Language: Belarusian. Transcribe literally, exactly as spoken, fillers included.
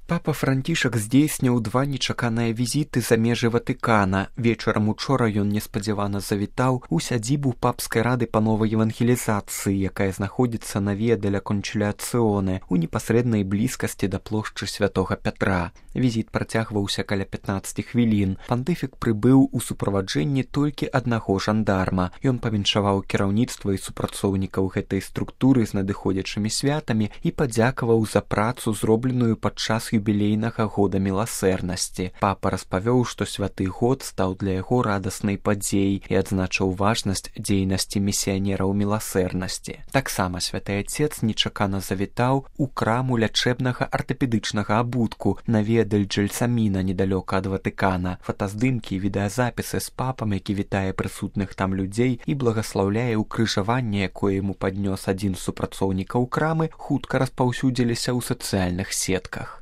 Папа Францішак здзейсніў два нечаканыя візіты за межы Ватыкана. Вечарам учора ён неспадзявана завітаў у сядзібу папскай рады па новай евангелізацыі, якая знаходзіцца на Віа деля Кончыліацыоне у непасрэднай блізкасці да плошчы святога Пятра. Візіт працягваўся каля пятнаццаць хвілін. Пантыфік прыбыў у суправаджэнні толькі аднаго жандарма. Ён павіншаваў кіраўніцтва і супрацоўнікаў гэтай структуры з надыходзячымі святамі і падзякаваў за працу, зробленую падчас юбілейнага года міласэрнасці. Папа распавёў, што святы год стаў для яго радаснай падзеяй і адзначыў важнасць дзейнасці місіянераў міласэрнасці. Таксама святы Ацец нечакана завітаў у краму лячэбнага артапедычнага абутку на Віа дель Джельсаміна недалёка ад Ватыкана. Фотаздымкі і відэазапісы з папам, які вітае прысутных там людзей і благаслаўляе ўкрыжаванне, якое яму паднёс адзін з супрацоўнікаў крамы, хутка распаўсюдзіліся ў сацыяльных сетках.